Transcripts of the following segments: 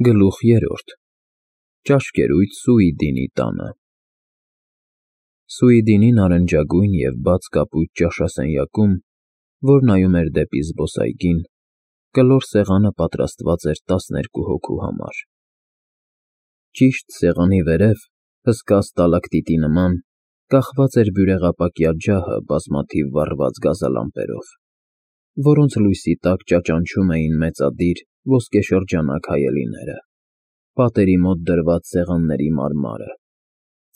Գլուխ 3 Ճաշկերույթ Սուիդինի տանը Սուիդինի նարնջագույն և բաց կապույտ ճաշասենյակում, որ նայում էր դեպի զբոսայգին, կլոր սեղանը պատրաստված էր 12 հոգու համար։ Ճիշտ սեղանի վերև, հսկա ստալակտիտի նման, կախված էր բյուրեղապակյա ջահը բազմաթիվ վառված գազալամպերով, որոնց լույսի տակ ճաճանչում էին մեծադիր ոսկեշրջանակ հայելիները, պատերի մոտ դրված սեղանների մարմարը,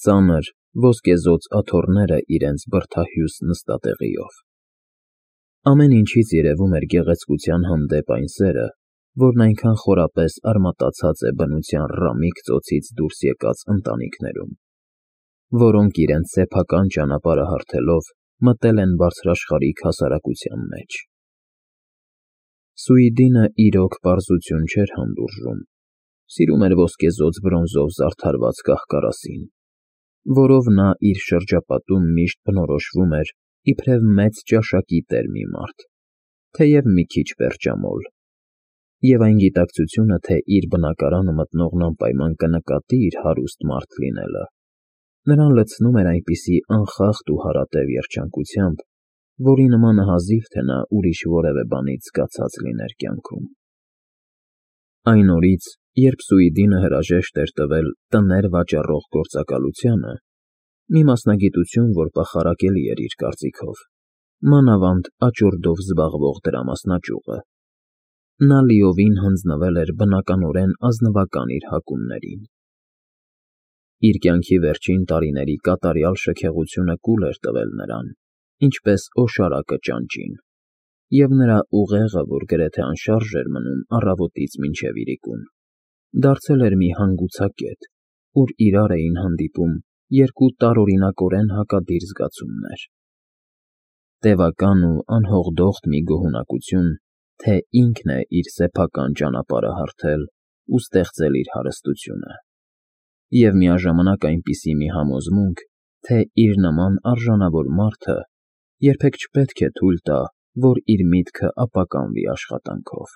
ծանր, ոսկեզօծ աթոռները իրենց բրդահյուս նստատեղիով։ Ամեն ինչից երևում էր գեղեցկության հանդեպ այն սերը, որն այնքան խորապես արմատացած է բնության ռամիկ ծոցից դուրս եկած ընտանիքներում, որոնք իրենց սեփական ճանապարհը հարթելով մտել են բարձրաշխարհիկ հասարակության մեջ։ Սուիդինը իրոք պարզություն չէր հանդուրժում, սիրում էր ոսկեզօծ բրոնզով զարդարված կահ֊կարասին, որով նա իր շրջապատում միշտ բնորոշվում էր իբրև մեծ ճաշակի տեր մի մարդ, թեև մի քիչ պերճամոլ, և այն գիտակցությունը, թե իր բնակարանը մտնողն անպայման կնկատի իր հարուստ մարդ լինելը, նրան լցնում էր այնպիսի անխախտ ու հարատև երջանկությամբ, որի նմանը հազիվ թե նա ուրիշ որևէ բանից զգացած լիներ կյանքում։ Այն օրից, երբ Սուիդինը հրաժեշտ էր տվել տներ վաճառող գործակալությանը, մի մասնագիտություն, որ պախարակելի էր իր կարծիքով, մանավանդ աճուրդով զբաղվող դրամասնաճյուղը, նա լիովին հանձնվել էր բնականորեն ազնվական իր հակումներին։ Իր կյանքի վերջին տարիների կատարյալ շքեղությունը կուլ էր տվել նրան, ինչպես օշարակը ճանճին, և նրա ուղեղը, որ գրեթե անշարժ էր մնում առավոտից մինչև իրիկուն, դարձել էր մի հանգուցակետ, ուր իրար էին հանդիպում երկու տարօրինակորեն հակադիր զգացումներ. տևական ու անհողդոխտ մի գոհունակություն, թե ինքն է իր սեփական ճանապարհը հարթել ու ստեղծել իր հարստությունը, և միաժամանակ այնպիսի մի համոզմունք, թե իր նման արժանավոր մարդը երբեք չպետք է թույլ տա, որ իր միտքը ապականվի աշխատանքով։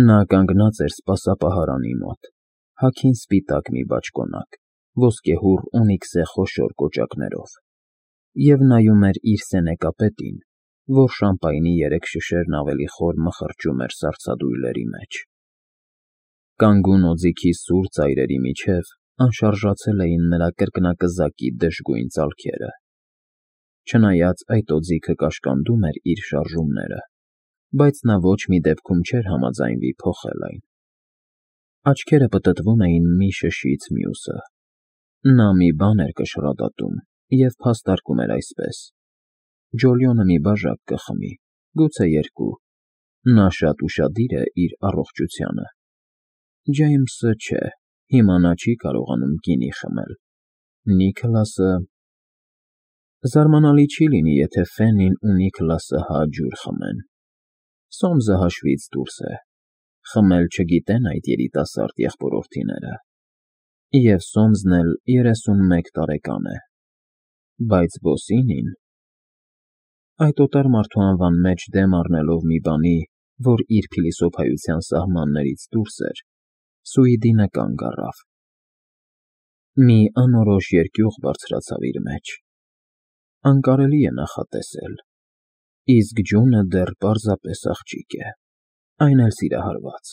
Նա կանգնած էր սպասապահարանի մոտ, հագին սպիտակ մի բաճկոնակ, ոսկեհուռ օնիքսե խոշոր կոճակներով, և նայում էր իր սենեկապետին, որ շամպայնի 3 շշերն ավելի խոր մխրճում էր սառցադույլերի մեջ։ Կանգուն օձիքի սուր ծայրերի միջև անշարժացել էին նրա կրկնակզակի դժգույն ծալքերը, չնայած այդ օձիքը կաշկանդում էր իր շարժումները, բայց նա ոչ մի դեպքում չէր համաձայնվի փոխել այն։ Աչքերը պտտվում էին մի շշից մյուսը։ Նա մի բան էր կշռադատում և փաստարկում էր այսպես. Ջոլիոնը մի բաժակ կխմի, գուցե 2, նա շատ ուշադիր է իր առողջությանը։ Ջեյմսը չէ, հիմա նա չի կարողանում գինի խմել, Նիքլասը… Զարմանալի չի լինի, եթե Ֆենին ու Նիքլասը հա ջուր խմեն։ Սոմսը հաշվից դուրս է, խմել չգիտեն այդ երիտասարդ եղբորորդիները, և Սոմսն էլ 31 տարեկան է, բայց Բոսինին… Այդ օտար մարդու անվան մեջ դեմ առնելով մի բանի, որ իր փիլիսոփայության սահմաններից դուրս էր, Սուիդինը կանգ առավ։ Մի անորոշ երկյուղ բարձրացավ իր մեջ։ Անկարելի է նախատեսել, իսկ ջունը դեռ պարզապես աղջիկ է, այն էլ սիրահարված։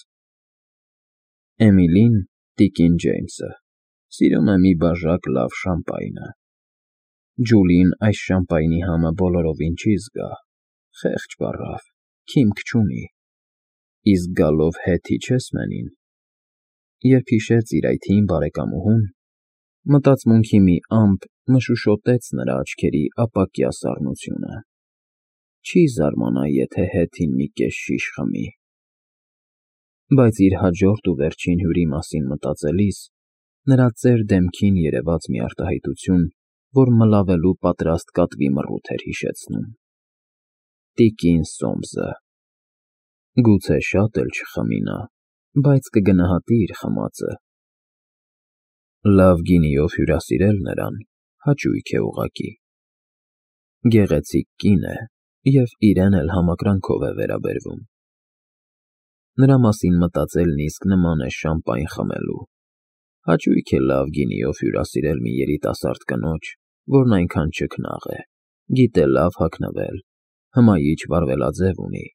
Էմիլին, տիկին Ջեյմսը, սիրում է մի բաժակ լավ շամպայնը։ Ջուլին այս շամպայնի համը բոլորովին չի զգա, խեղճ վառավ, քիմք չունի, իսկ գալով հետ իջես մենին… Երբ հիշեց իր այդ հին բարեկամուհուն, մտածմունքի մի ամպ մշուշոտեց նրա աչքերի ապակյա սառնությունը։ Չի զարմանա, եթե հետին մի կես շիշ խմի։ Բայց իր հաջորդ ու վերջին հյուրի մասին մտածելիս նրա ծեր դեմքին երևաց մի արտահայտություն, որ մլավելու պատրաստ կատվի մռութ էր հիշեցնում։ Տիկին Սոմսը… Գուցե շատ էլ չխմի նա, բայց կգնահատի իր խմածը։ Լավ գինիով հյուրասիրել նրան հաճույք է ուղղակի։ Գեղեցիկ կին է և իրեն էլ համակրանքով է վերաբերվում։ նրա մասին մտածելն իսկ նման է շամպայն խմելու։ Հաճույք է լավ գինիով հյուրասիրել մի երիտասարդ կնոջ, որն այնքան չքնաղ է, գիտե լավ հագնվել, հմայիչ վարվելաձև ունի,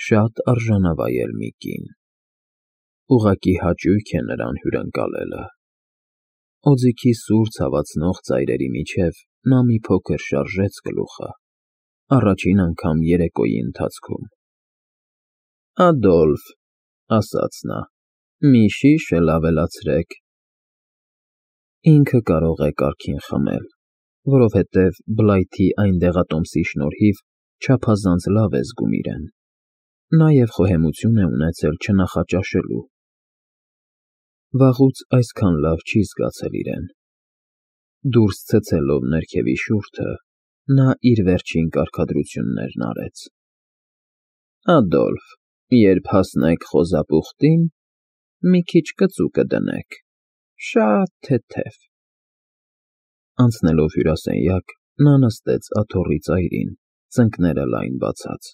շատ արժանավայել մի կին։ Ուղղակի հաճույք է նրան հյուրընկալելը։ Օձիքի սուր ցավացնող ծայրերի միջև նա մի փոքր շարժեց գլուխը, առաջին անգամ երեկոյի ընթացքում։ «Ադոլֆ», ասաց նա, «մի շիշ էլ ավելացրեք»։ Ինքը կարող է կարգին խմել, որովհետև Բլայթի այն դեղատոմսի շնորհիվ չափազանց լավ է զգում իրեն, նաև խոհեմություն է ունեցել չնախաճաշելու։ Վաղուց այսքան լավ չի զգացել իրեն։ Դուրս ցցելով ներքևի շուրթը, նա իր վերջին կարգադրություններն արեց։ «Ադոլֆ, երբ հասնեք խոզապուխտին, մի քիչ կծու կդնեք, շատ թեթև»։ Անցնելով հյուրասենյակ, նա նստեց աթոռի ծայրին, ծնկները լայն բացած,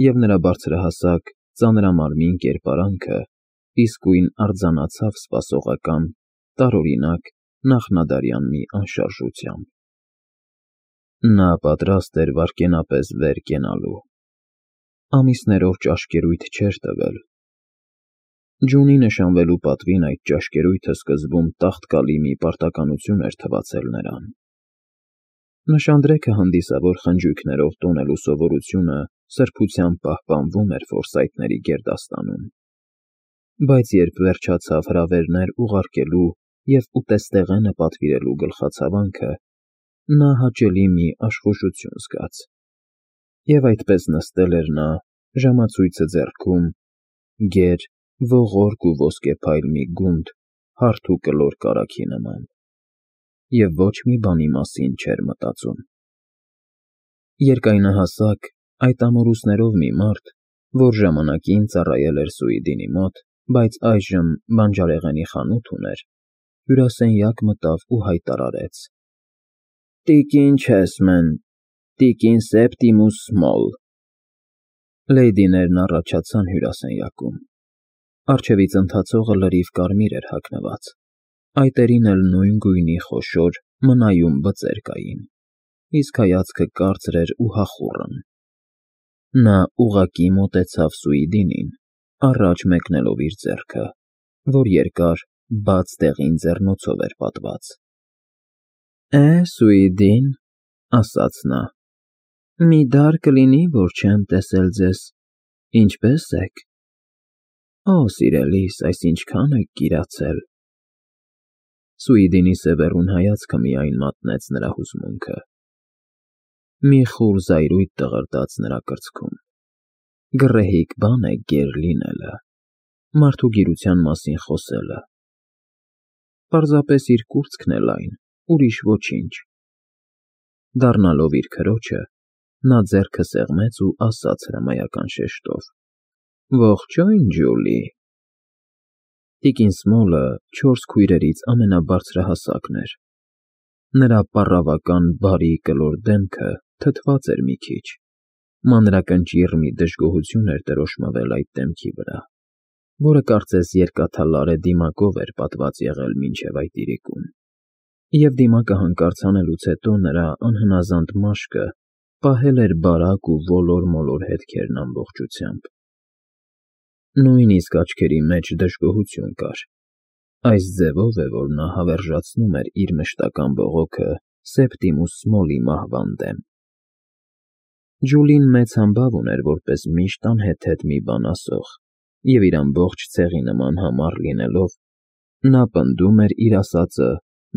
և նրա բարձրահասակ, ծանրամարմին կերպարանքը իսկույն արձանացավ սպասողական, տարօրինակ, նախնադարյան մի անշարժությամբ։ Նա պատրաստ էր վայրկենապես վեր կենալու։ Ամիսներով ճաշկերույթ չէր տվել։ Ջունի նշանվելու պատվին այդ ճաշկերույթը սկզբում տաղտկալի մի պարտականություն էր թվացել նրան։ Նշանդրեքը հանդիսավոր խնջույքներով տոնելու սովորությունը սրբությամբ պահպանվում էր Ֆորսայթների գերդաստանում, բայց երբ վերջացավ հրավերներ ուղարկելու և ուտեստեղենը պատվիրելու գլխացավանքը, նա հաճելի մի աշխուժություն զգաց, և այդպես նստել էր նա, ժամացույցը ձեռքում, գեր, ողորկ ու ոսկեփայլ մի գունդ հարթ ու կլոր կարագի նման, և ոչ մի բանի մասին չէր մտածում։ Երկայնահասակ, այդ ամորուսներով մի մարդ, որ ժամանակին ծառայել էր Սուիդինի մոտ, բայց այժմ բանջարեղենի խանութ ուներ, հյուրասենյակ մտավ ու հայտարարեց. «Տիկին Չեսմեն, տիկին Սեպտիմուս Սմոլ»։ Լեյդիներն առաջացան հյուրասենյակում։ Առջևից ընթացողը լրիվ կարմիր էր հագնված, այտերին էլ նույն գույնի խոշոր, մնայուն բծեր կային, իսկ հայացքը կարծր էր ու հախուռն։ Նա ուղղակի մոտեցավ Սուիդինին, առաջ մեկնելով իր ձեռքը, որ երկար, բաց դեղին ձեռնոցով էր պատված։ Սուիդին, ասաց նա, մի դար կլինի, որ չեմ տեսել ձեզ, ինչպե՞ս եք։ Օ, սիրելիս, այս ինչքան եք կիրացել։ Սուիդինի սևեռուն հայացքը միայն մատնեց նրա հուզմունքը։ Մի խուլ զայրույթ տղրտաց նրա կրծքում։ Գռեհիկ բան է գեր լինելը, մարդու գիրության մասին խոսելը։ Պարզապես իր կուրծքն է լայն, ուրիշ ոչինչ։ Դառնալով իր քրոջը, նա ձեռքը սեղմեց ու ասաց հրամայական շեշտով. «Ողջույն, Ջուլի»։ Տիկին Սմոլը 4 քույրերից ամենաբարձրահասակն էր։ Նրա պառավական բարի կլոր դեմքը թթված էր մի քիչ, մանրակնճիռ մի դժգոհություն էր դրոշմվել այդ դեմքի վրա, որը կարծես երկաթալարե դիմակով էր պատված եղել մինչև այդ իրիկուն, և դիմակը հանկարծ հանելուց հետո նրա անհնազանդ մաշկը պահել էր բարակ ու ոլոր-մոլոր հետքերն ամբողջությամբ։ Նույնիսկ աչքերի մեջ դժգոհություն կար։ Այս ձևով է, որ նա հավերժացնում էր իր մշտական բողոքը Սեպտիմուս Սմոլի մահվան դեմ։ Ջուլին մեծ համբավ ուներ որպես միշտ անհեթեթ մի բան ասող, և իր ամբողջ ցեղի նման համառ լինելով, նա պնդում էր իր ասածը,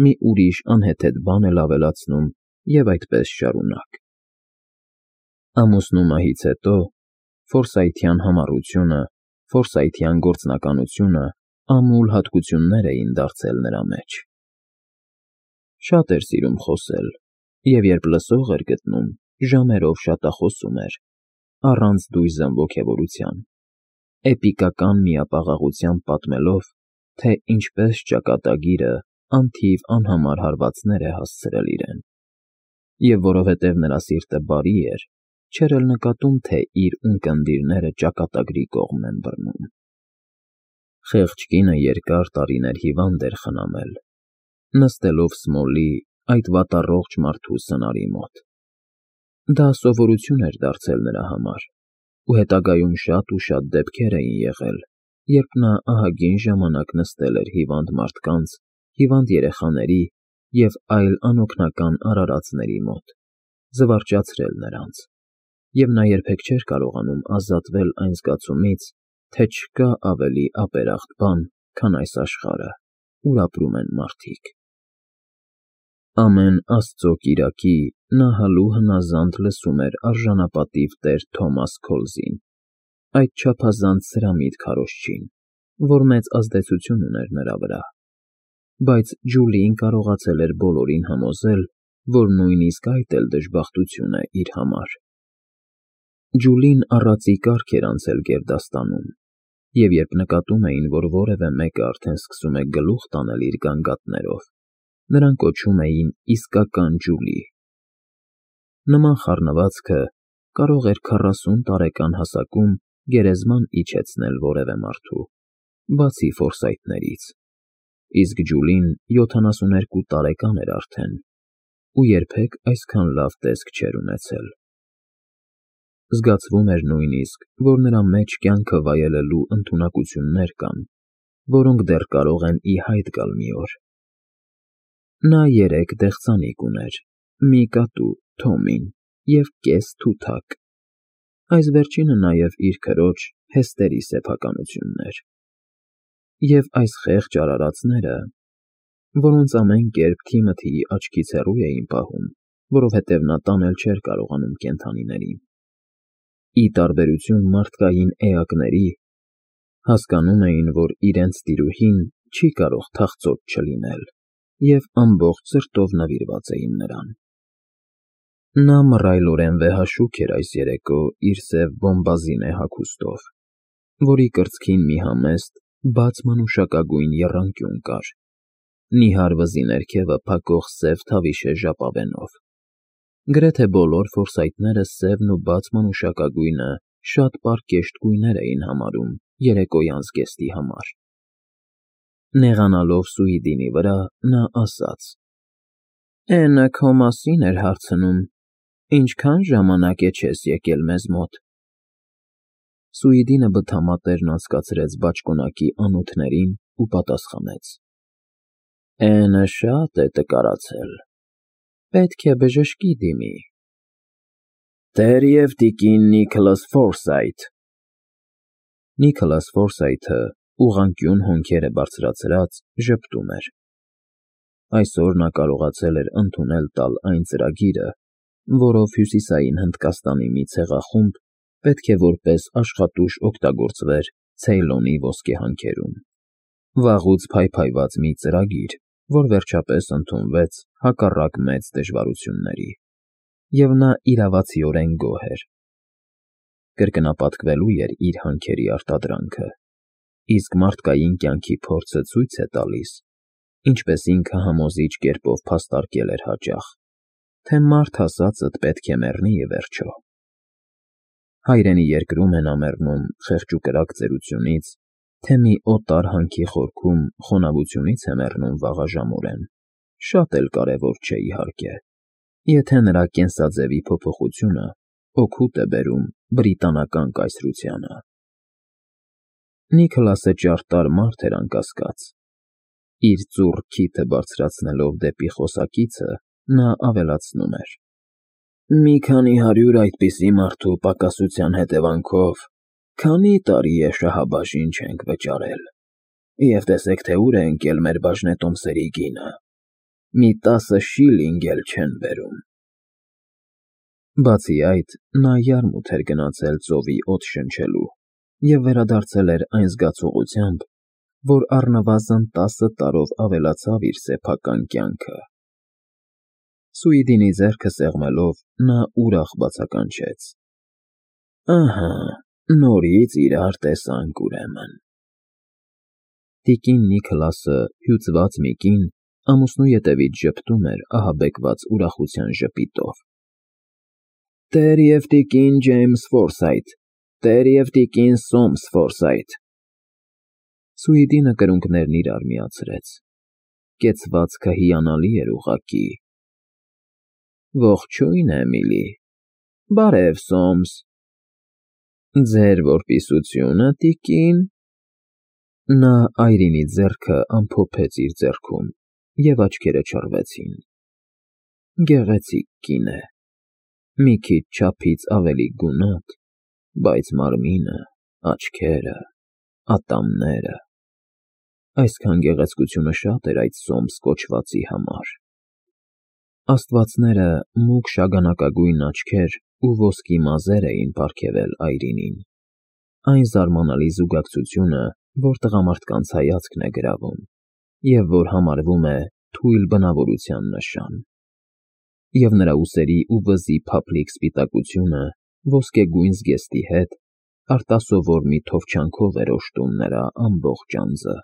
մի ուրիշ անհեթեթ բան էլ ավելացնում և այդպես շարունակ։ Ամուսնու մահից հետո ֆորսայթյան համառությունը, ֆորսայթյան գործնականությունը ամուլ հատկություններ էին դարձել նրա մեջ։ Շատ էր սիրում խոսել, և երբ լսող էր գտնում, ժամերով շատախոսում էր, առանց դույզն ոգևորության, էպիկական միապաղաղությամբ պատմելով, թե ինչպես ճակատագիրը անթիվ անհամար հարվածներ է հասցրել իրեն, և որովհետև նրա սիրտը բարի էր, չէր էլ նկատում, թե իր ունկնդիրները ճակատագրի կողմն են բռնում։ Խեղճ կինը երկար տարիներ հիվանդ էր խնամել, նստելով Սմոլի, այդ վատառողջ մարդու սնարի մոտ։ Դա սովորություն էր դարձել նրա համար, ու հետագայում շատ ու շատ դեպքեր էին եղել, երբ նա ահագին ժամանակ նստել էր հիվանդ մարդկանց, հիվանդ երեխաների և այլ անօգնական արարածների մոտ, զվարճացրել նրանց, և նա երբեք չէր կարողանում ազատվել այն զգացումից, թե չկա ավելի ապերախտ բան, քան այս աշխարհը, ուր ապրում են մարդիկ։ Ամեն Աստծո կիրակի նա հալու հնազանդ լսում էր արժանապատիվ տեր Թոմաս Քոլզին, այդ չափազանց սրամիտ քարոզչին, որ մեծ ազդեցություն ուներ նրա վրա, բայց Ջուլին կարողացել էր բոլորին համոզել, որ նույնիսկ այդ էլ դժբախտություն է իր համար։ Ջուլին առածի կարգ էր անցել գերդաստանում, և երբ նկատում էին, որ որևէ մեկը արդեն սկսում է գլուխ տանել իր գանգատներով, նրան կոչում էին իսկական Ջուլի։ Նման խառնվածքը կարող էր 40 տարեկան հասակում գերեզման իջեցնել որևէ մարդու, բացի Ֆորսայթներից, իսկ Ջուլին 72 տարեկան էր արդեն ու երբեք այսքան լավ տեսք չէր ունեցել։ Զգացվում էր նույնիսկ, որ նրա մեջ կյանքը վայելելու ընդունակություններ կան, որոնք դեռ կարող են ի հայտ գալ մի օր։ Նա 3 դեղցանիկ ուներ, մի կատու, Թոմին, և կես թութակ, այս վերջինը նաև իր քրոջ Հեսթերի սեփականությունն էր։ Եվ այս խեղճ արարածները, որոնց ամեն կերպ Թիմոթիի աչքից հեռու էին պահում, որովհետև նա տանել չէր կարողանում կենդանիներին, ի տարբերություն մարդկային էակների, հասկանում էին, որ իրենց տիրուհին չի կարող թախծոտ չլինել, և ամբողջ սրտով նվիրված էին նրան։ Նա մռայլորեն վեհաշուք էր այս երեկո իր սև բոմբազինե հագուստով, որի կրծքին մի համեստ, բաց մանուշակագույն եռանկյուն կար, նիհար վզի ներքևը փակող սև թավիշե ժապավենով։ Գրեթե բոլոր Ֆորսայթները սևն ու բաց մանուշակագույնը շատ պարկեշտ գույներ էին համարում երեկոյան զգեստի համար։ Նեղանալով Սուիդինի վրա, նա ասաց. «Էնը քո մասին էր հարցնում, ինչքան ժամանակ է չես եկել մեզ մոտ»։ Սուիդինը բթամատերն անցկացրեց բաճկոնակի անոթներին ու պատասխանեց. «Էնը շատ է տկարացել, պետք է բժշկի դիմի»։ «Տեր և տիկին Նիքլաս Ֆորսայթ»։ Նիքլաս Ֆորսայթը, ուղղանկյուն հոնքերը բարձրացրած, ժպտում էր։ Այսօր նա կարողացել էր ընդունել տալ այն ծրագիրը, որով Հյուսիսային Հնդկաստանի մի ցեղախումբ պետք է որպես աշխատուժ օգտագործվեր Ցեյլոնի ոսկեհանքերում։ Վաղուց փայփայված մի ծրագիր, որ վերջապես ընդունվեց հակառակ մեծ դժվարությունների, և նա իրավացիորեն գոհ էր։ Կրկնապատկվելու էր իր հանքերի արտադրանքը, իսկ մարդկային կյանքի փորձը ցույց է տալիս, ինչպես ինքը համոզիչ կերպով փաստարկել էր հաճախ, թե մարդ ասածդ պետք է մեռնի ի վերջո։ Հայրենի երկրում է նա մեռնում խեղճուկրակ ծերությունից, թե մի օտար հանքի խորքում խոնավությունից է մեռնում վաղաժամորեն, շատ էլ կարևոր չէ, իհարկե, եթե նրա կենսաձևի փոփոխությունը օգուտ է բերում բրիտանական կայսրությանը։ Նիքլասը ճարտար մարդ էր անկասկած։ Իր ծուռ քիթը բարձրացնելով դեպի խոսակիցը, նա ավելացնում էր. «Մի քանի 100 այդպիսի մարդու պակասության հետևանքով քանի տարի է շահաբաժին չենք վճարել, և տեսեք, թե ուր է ընկել մեր բաժնետոմսերի գինը, մի 10 շիլինգ էլ չեն բերում»։ Բացի այդ, նա յարմութ էր գնացել ծովի օդ շնչելու և վերադարձել էր այն զգացողությամբ, որ առնվազն 10 տարով ավելացավ իր սեփական կյանքը։ Սուիդինի ձեռքը սեղմելով, նա ուրախ բացականչեց. «Ահա, նորից իրար տեսանք, ուրեմն»։ Տիկին Նիքլասը, հյուծված մի կին, ամուսնու ետևից ժպտում էր ահաբեկված ուրախության ժպիտով։ Տեր և տիկին Ջեյմս Ֆորսայթ, տեր և տիկին Սոմս Ֆորսայթ։ Սուիդինը կրունկներն իրար միացրեց։ Կեցվածքը հիանալի էր ուղղակի։ Ողջույն, Էմիլի։ Բարև, Սոմս։ Ձեր որպիսությունը, տիկին։ Նա Այրինի ձեռքը ամփոփեց իր ձեռքում, և աչքերը չռվեցին։ Գեղեցիկ կին է, մի քիչ չափից ավելի գունատ, բայց մարմինը, աչքերը, ատամները… Այսքան գեղեցկությունը շատ էր այդ Սոմս կոչվածի համար։ Աստվածները մուգ շագանակագույն աչքեր ու ոսկի մազեր էին պարգևել Այրինին, այն զարմանալի զուգակցությունը, որ տղամարդկանց հայացքն է գրավում, և որ համարվում է թույլ բնավորության նշան։ Եվ նրա ուսերի ու վզի փափլիկ սպիտակությունը ոսկեգույն զգեստի հետ արտասովոր մի թովչանքով էր օժտում նրա ամբողջ անձը։